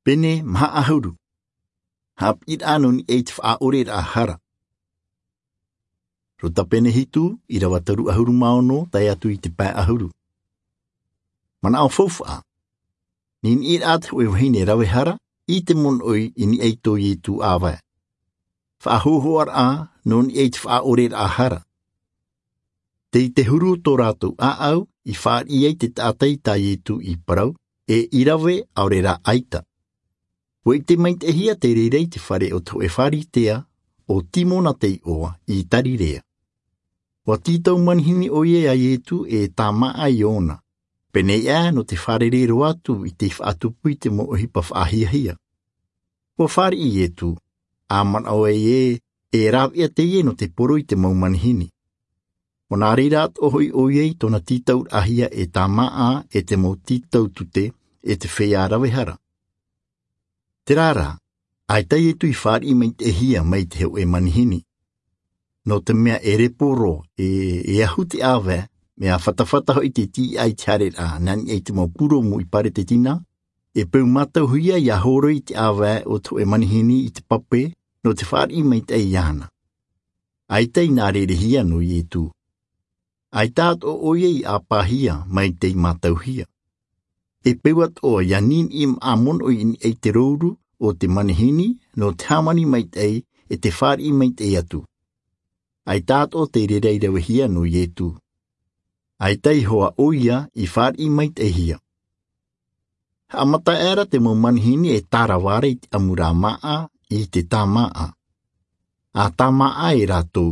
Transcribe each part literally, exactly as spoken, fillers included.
Pene maha ʻahuru. Haʻapiʻiraʻa nō niʻa i te faʻaʻoreraʻa hara. Luka pene hitu, ʻīrava toru ʻahuru mā ono tae atu i te pae ʻahuru. Manaʻo faufaʻa. Niniʻiraʻa te hōʻē vahine rave hara i te monoʻi i niʻa i tō Ietu ʻāvae. Faʻahōhoʻaraʻa nō niʻa i te faʻaʻoreraʻa hara. Tei te huru o tō rātou ʻāʻau i fāriʻi ai te taʻata i tā Ietu i parau, e i rave ʻaore rā ʻaita. ʻUa ʻite maitaʻihia te reira i te fare o te hōʻē Pharisea, ʻo Timona te iʻoa, i Tarirea. ʻUa tītau manihini ʻoia iā Ietu e tāmāʻa iōna. Pēneiaʻe nō te fārerei roa atu i te faʻatupu i te mau ʻohipa faʻahiahia. ʻUa fāriʻi Ietu, ʻa manaʻo ai ē, e rāveʻa teie nō te poro i te mau manihini. ʻUa nā reira atoʻa hoʻi ʻoia i tōna tītauraʻahia e tāmāʻa e te mau tītau tute e te feiā rave hara. Terā rā, ʻaita Ietu i fāriʻi maitaʻihia mai te hōʻē manihini. Nō te mea e repo roa, e, e ahu te ʻāvae, mea fatafata hoʻi te tīaʻi i te haereraʻa, nā niʻa i te mau purumu i Paretetina, e peu mātauhia ʻia hōroʻa i te ʻāvae o te hōʻē manihini i te pape, nō te fāriʻi maitaʻi iāna. ʻAita i nā rerehia nō Ietu. ʻAita atoʻa ʻoia i ʻāpāhia mai tei mātauhia. E peu atoʻa ʻia niniʻi maʻa monoʻi i niʻa i te rouru o te manihini nō te hāmani maitaʻi e te fāriʻi maitaʻi atu. ʻAita atoʻa te reira i ravehia nō Ietu. ʻAita i hoa ʻoia i fāriʻi maitaʻihia. Haʻamata aʻera te mau manihini e tārava ra i te ʻamuraʻa māʻa i te tāmāʻa. ʻA tāmāʻa e rātou,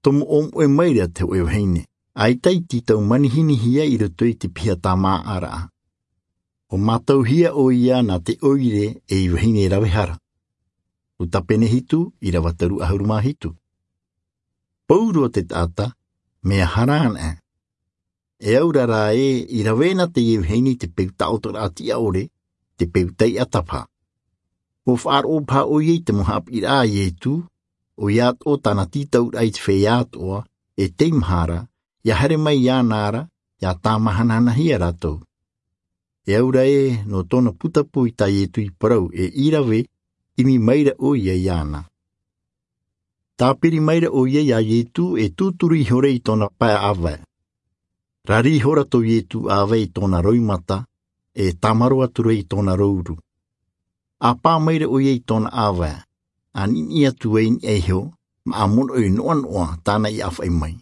tomo ʻōmoʻe maira te hōʻē vahine, ʻaita i tītau manihinihia i roto i te piha tāmāʻaraʻa. ʻUa mātauhia ʻoia nā te ʻoire ei vahine rave hara. Luka pene hitu, ʻīrava toru ʻahuru mā hitu. Pauroa te taʻata, mea hara anaʻe. E aura rā ē, i rave na teie vahine i te peu taʻotoraʻa tiʻa ʻore, te peu taiʻa tapā. ʻUa faʻaroʻo paha ʻoia i te mau haʻapiʻiraʻa a Ietu, ʻoia atoʻa tāna tītauraʻa i te feiā atoʻa, e tei maha ra, ʻia haere mai iāna ra, ʻia tāmāhanahanahia rātou. E aura ē, nō tōna putapū i tā Ietu i parau e i rave, ʻimi maira ʻoia iāna. Tāpiri maira ʻoia iā Ietu e tūturu ihora i tōna pae ʻāvae. Rari ihora tō Ietu ʻāvae i tōna roimata, e tāmaro atura i tōna rouru. ʻA pā maira ʻoia i tōna ʻāvae, ʻa niniʻi atu ai i niʻa iho, maʻa monoʻi noʻanoʻa tāna i ʻāfaʻi mai.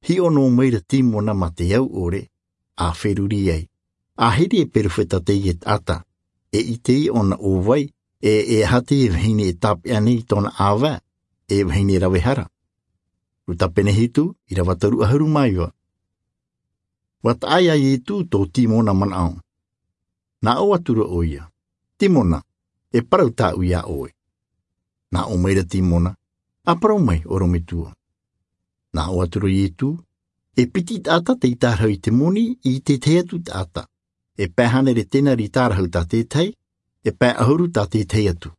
Hiʻo noa maira Timona mā te au ʻore, ʻa feruri ai. ʻA hiri e perofeta teie taʻata, e ʻite ʻōna ʻo vai, e, e aha teie vahine e tāpeʻa nei i tōna ʻāvae, e vahine rave hara. Luka pene hitu, ʻīrava toru ʻahuru mā iva. ʻUa taʻa iā Ietu tō Timona manaʻo. Nā ʻō atura ʻoia, Timona, e parau tāʻu iā ʻoe. Nā ʻō maira Timona, ʻa parau mai, ʻorometua. Nā ʻō atura Ietu, e piti taʻata tei tārahu i te moni i te tahi atu taʻata. E pae hānere tenari tārahu tā te tahi, e pae ʻahuru tā te tahi atu.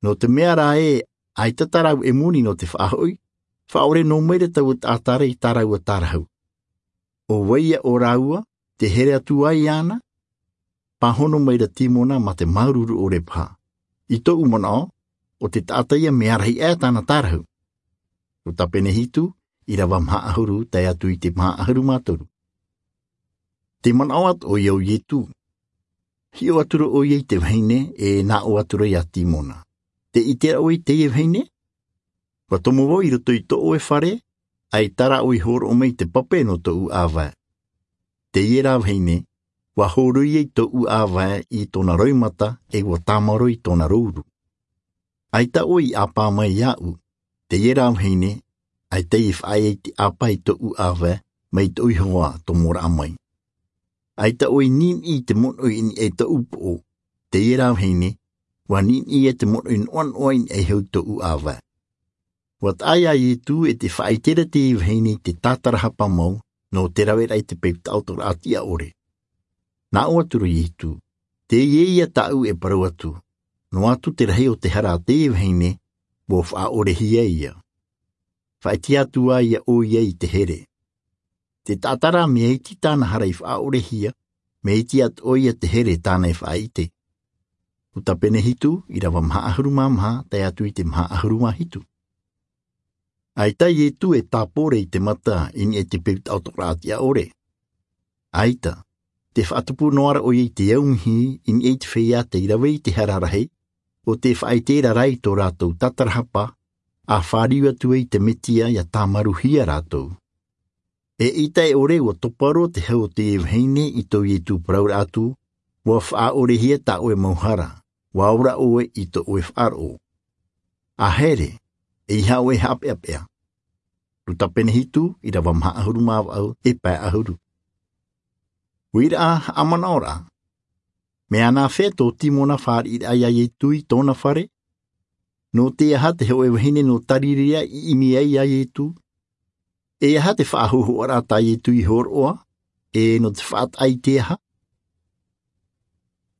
Nō te mea rā ē, ʻaita tā rāua e moni nō te faʻahoʻi, faʻaʻore noa maira taua taʻata ra i tā rāua tārahu. ʻO vai ia ʻo rāua, te here atu ai iāna? Pāhono maira Timona mā te māuruuru ʻore paha. I tōʻu manaʻo, ʻo te taʻata ia mea rahi aʻe tāna tārahu. Luka pene hitu, ʻīrava maha ʻahuru, tae atu i te maha ʻahuru mā toru. Te manaʻo atoʻa ʻoia o Ietu. Hiʻo atura ʻoia i te vahine, e nā ʻō atura iā Timona. Tē ʻite ra ʻoe i teie vahine? ʻUa tomo vau i roto i tō ʻoe fare, ʻaita rā ʻoe i hōroʻa mai i te pape nō tōʻu ʻāvae. Teie rā vahine, ʻua hōroʻa i tōʻu ʻāvae i tōna roimata, e ʻua tāmaro i tōna rouru. ʻAita ʻoe i ʻāpā mai iāʻu, teie rā vahine, ʻaita i faʻaea i te ʻāpā i tōʻu ʻāvae, mai tōʻu iho ā tomoraʻa mai. ʻAita ʻoe i niniʻi i te monoʻi i niʻa i tōʻu poʻo, teie rā vahine, ʻua niniʻi ia te monoʻi noʻanoʻa i niʻa iho i tōʻu ʻāvae. ʻUa taʻa iā Ietu e tē faʻaʻite ra teie vahine i te tātarahapa mau, nō te raveraʻa i te peu taʻotoraʻa tiʻa ʻore. Nā ʻō atura Ietu, teie ia tāʻu e parau atu, noa atu te rahi o te hara a teie vahine, ʻua faʻaʻorehia ia. Faʻaʻite atu ā ia ʻoia i te here. Te taʻata rā mea iti tāna hara i faʻaʻorehia, mea iti atoʻa ia te here tāna e faʻaʻite. Luka pene hitu, irava maha ʻahuru mā maha, tae atu i te maha ʻahuru mā hitu. ʻAita ʻo Ietu e tāpore i te mata i niʻa i te peu taʻotoraʻa tiʻa ʻore. ʻAita, tē faʻatupu noa ra ʻoia i te aumihi i niʻa i te feiā tei rave i te hara rahi, ʻo tē faʻaʻite ra rā i tō rātou tatarahapa, ʻa fāriu atu ai te Mesia ʻia tāmaruhia rātou. ʻEita e ʻore ʻua topa roa te hau o teie vahine i tō Ietu parauraʻa atu, ʻua faʻaʻorehia tā ʻoe mau hara, ʻua ora ʻoe i tō ʻoe faʻaroʻo. ʻA here, ʻeiaha ʻoe e haʻapeʻapeʻa. Luka pene hitu, irava maha ʻahuru mā vaʻu, e pae ʻahuru. ʻUa ʻite ʻa haʻamanaʻoraʻa. Mea nāfea tō Timona fāriʻiraʻa ia Ietu i tōna fare? Nō te aha te hōʻē vahine nō Tarirea i ʻimi ai ia Ietu? E aha te faʻahōhoʻaraʻa tā Ietu i hōroʻa? E nō te faʻataʻa i te aha?